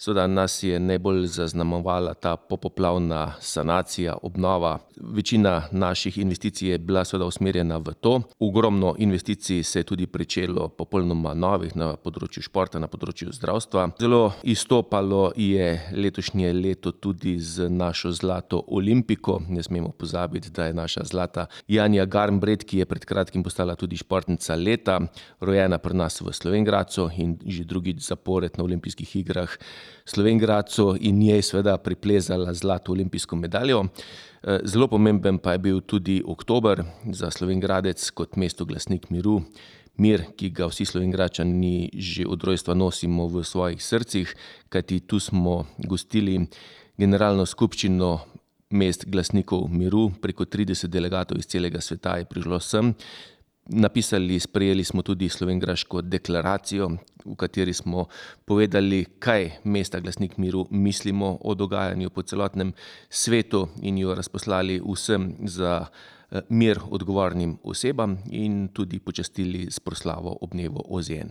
Seveda nas je najbolj zaznamovala ta popoplavna sanacija, obnova. Večina naših investicij je bila seveda usmerjena v to. Ogromno investicij se je tudi pričelo popolnoma novih na področju športa, na področju zdravstva. Zelo izstopalo je letošnje leto tudi z našo zlato olimpiko. Ne smemo pozabiti, da je naša zlata Janja Garnbret, ki je pred kratkim postala tudi športnica leta, rojena pri nas v Slovenj Gradcu in že drugič zapored na olimpijskih igrah Slovenj Gradcu in njej seveda priplezala zlato olimpijsko medaljo. Zelo pomemben pa je bil tudi oktober za Slovenj Gradec kot mesto glasnik miru. Mir, ki ga vsi Slovenjgradčani že od rojstva nosimo v svojih srcih, kajti tu smo gostili generalno skupščino mest glasnikov miru. Preko 30 delegatov iz celega sveta je prišlo sem. Sprejeli smo tudi slovenjgraško deklaracijo, v kateri smo povedali, kaj mesta glasnik miru mislimo o dogajanju po celotnem svetu in jo razposlali vsem za mir odgovornim osebam in tudi počastili s proslavo ob dnevu OZN.